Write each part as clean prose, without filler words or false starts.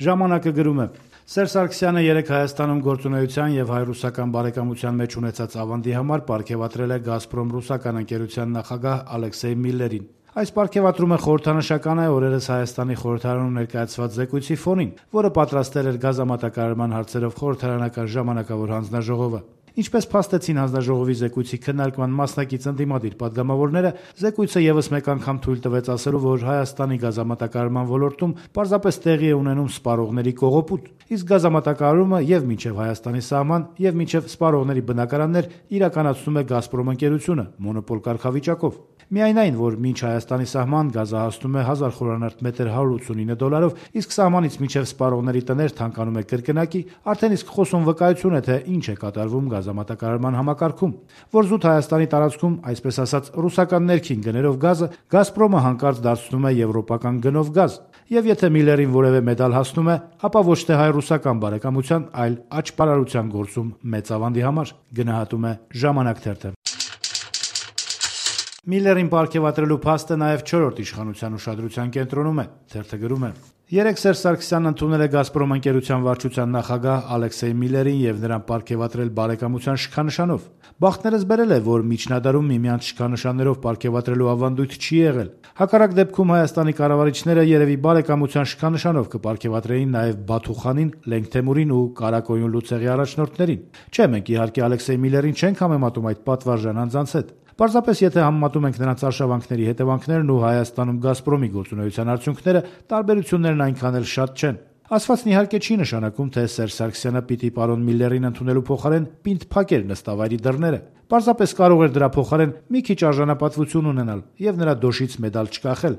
Ժամանակը գրում է. Սերժ Սարգսյանը երեկ Հայաստանում գործունեության եւ հայ-ռուսական բարեկամության մեջ ունեցած ավանդի համար պարգեւատրել է «Գազպրոմ» ռուսական ընկերության նախագահ Ալեքսեյ Միլլերին։ Այս պարգևատրումը խորհրդանշական է օրերս Հայաստանի խորհրդարանում ներկայացված զեկույցի ֆոնին, որը պատրաստել էր գազամատակարարման հարցերով խորհրդարանական ժամանակավոր հանձնաժողովը։ Ինչպես փաստեցին հանձնաժողովի զեկույցի քննարկման մասնակից ընդդիմադիր падգամավորները, զեկույցը եւս մեկ անգամ թույլ տվեց ասելու, որ Հայաստանի գազամատակարարման ոլորտում պարզապես տեղի է ունենում սպառողների կողոպուտ, իսկ գազամատակարարումը եւ մինչեւ Հայաստանի սահման, եւ մինչեւ սպառողների բնակարաններ իրականացնում է «Գազպրոմ» ընկերությունը մոնոպոլ կարգավիճակով։ Միայն այն, որ մինչ Հայաստանի սահման գազը հասնում է 1000 խորանարդ մետր $189, իսկ սահմանից մինչև սպառողների տներ թանկանում է կրկնակի, արդեն իսկ խոսուն վկայություն է, թե ինչ է կատարվում գազամատակարարման համակարգում, որ զուտ Հայաստանի տարածքում, այսպես ասած, ռուսական ներքին գներով գազը «Գազպրոմը» հանկարծ դարձնում է եվրոպական գնով գազ, եւ եթե Միլլերին որևէ մեդալ հասնում է, ապա ոչ թե հայ-ռուսական բարեկամության, այլ աճպարարության գործում մեծ ավանդի համար, գնահատում է «Ժամանակ» թերթը։ Միլլերին պարգևատրելու փաստը նաև 4-րդ իշխանության ուշադրության կենտրոնում է, թերթը գրում է. Երեկ Սերժ Սարգսյանն ընդունել է «Գազպրոմ» ընկերության վարչության նախագահ Ալեքսեյ Միլլերին եւ նրան պարգևատրել բարեկամության շքանշանով։ Բախտներս բերել է, որ միջնադարում միմյանց շքանշաններով պարգևատրելու ավանդույթ չի եղել։ Հակառակ դեպքում Հայաստանի կառավարիչները երևի բարեկամության շքանշանով կպարգևատրեին նաև Բաթուխանին, Լենգթեմուրին ու Կարակոյուն լուծեղի առաջնորդներին։ Չէ, մենք իհարկե Ալեքսեյ Միլլերին չենք համեմատում այդ պատվարժան անձանց հետ։ Պարզապես եթե համեմատում ենք նրանց արշավանքների հետևանքներն ու Հայաստանում «Գազպրոմի» գործունեության արդյունքները, տարբերություններն այնքան էլ շատ չեն։ Ասվածն իհարկե չի նշանակում, թե Սերժ Սարգսյանը պիտի պարոն Միլլերին ընդունելու փոխարեն պինդ փակեր նստավայրի դռները։ Պարզապես կարող էր դրա փոխարեն մի քիչ արժանապատվություն ունենալ եւ նրա դոշից մեդալ չկախել։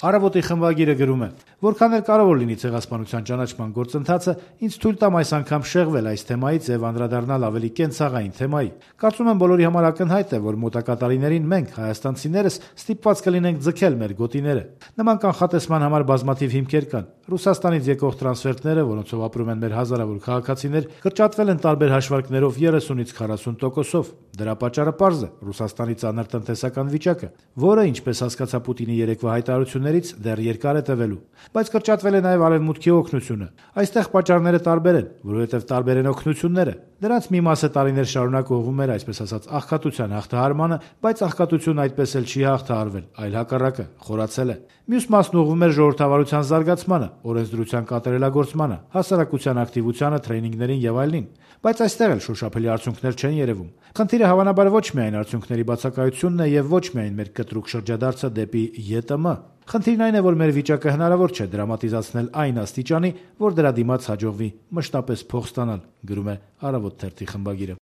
Առավոտի խմբագիրը գրում է. Որքան էլ կարևոր լինի ցեղասպանության ճանաչման գործընթացը, ինձ թույլ տամ այս անգամ շեղվել այս թեմայից եւ անդրադառնալ ավելի կենցաղային թեմայի։ Կարծում եմ բոլորի համար ակնհայտ է, որ մոտակա տարիներին մենք հայաստանցիներս ստիպված կլինենք ձգել մեր գոտիները։ Նման կանխատեսման համար բազմաթիվ հիմքեր կան։ Ռուսաստանից եկող տրանսֆերտները, որոնցով ապրում են մեր հազարավոր քաղաքացիներ, կրճատվել են տարբեր հաշվարկներով 30-ից 40%-ով։ Դրա պատճառը պարզ է՝ Ռուսաստանի ծանր տնտեսական վիճակը, որը, ինչպես հասկացա Պուտինի երեկվա հայտարարություններից, դեռ երկար է տևելու։ Բայց կրճատվել է նաև Արևմուտքի օգնությունը։ Այստեղ պատճառները տարբեր են, որովհետև տարբեր են օգնությունները։ Դրանց մի մասը տարիներ շարունակ ուղղվում էր, այսպես ասած, աղքատության հաղթահարմանը, բայց աղքատությունն այդպես էլ չի հաղթահարվել, այլ հակառակը, խորացել է։ Մյուս մասն ուղղվում էր ժողովրդավարության զարգացմանը, օրենսդրության կատարելագործմանը, հասարակության ակտիվությանը, տրեյնինգներին եւ այլնին։ Բայց այստեղ էլ շոշափելի արդյունքներ չեն երևում։ Խնդիրը հավանաբար ոչ միայն արդյունքների բացակայությունն է եւ ոչ միայն մեր կտրուկ շրջադարձը դեպի ԵՏՄ։ Խնդիրն այն է, որ մեր վիճակը հնարավոր չէ դրամատիզացնել այն աստիճանի, որ դրա դիմաց հաջողվի մշտապես փող ստանալ, գրում է Առավոտ թերթի խմբագիրը։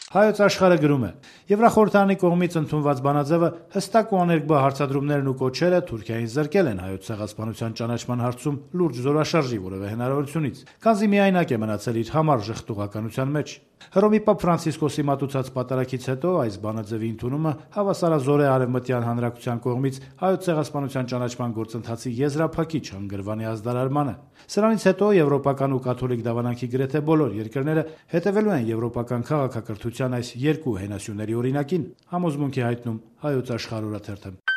Հայոց Աշխարհը գրում է. Եվրախորհրդարանի կողմից ընդունված բանաձևը հստակ ու աներկբա հարցադրումներն ու կոչերը Թուրքիային զրկել են հայոց ցեղասպանության ճանաչման հարցում լուրջ զորաշարժի որևէ հնարավորությունից, քանզի միայնակ է մնացել իր համառ ժխտուղականության մեջ։ Հռոմի Պապ Ֆրանցիսկոսի մատուցած պատարագից հետո այս բանաձևի ընդունումը հավասարազոր է Արևմտյան հանրակցության կողմից հայոց ցեղասպանության ճանաչման գործընթացի եզրափակիչ հանգրվանի ազդարարմանը։ Սրանից հետո եվրոպական ու կաթոլիկ դավանանքի գրեթե բոլոր երկրները հետևելու են եվրոպական քաղաքակրթության այս երկու հենասյուների օրինակին, համոզմունք է հայտնում Հայոց Աշխարհ օրաթերթը։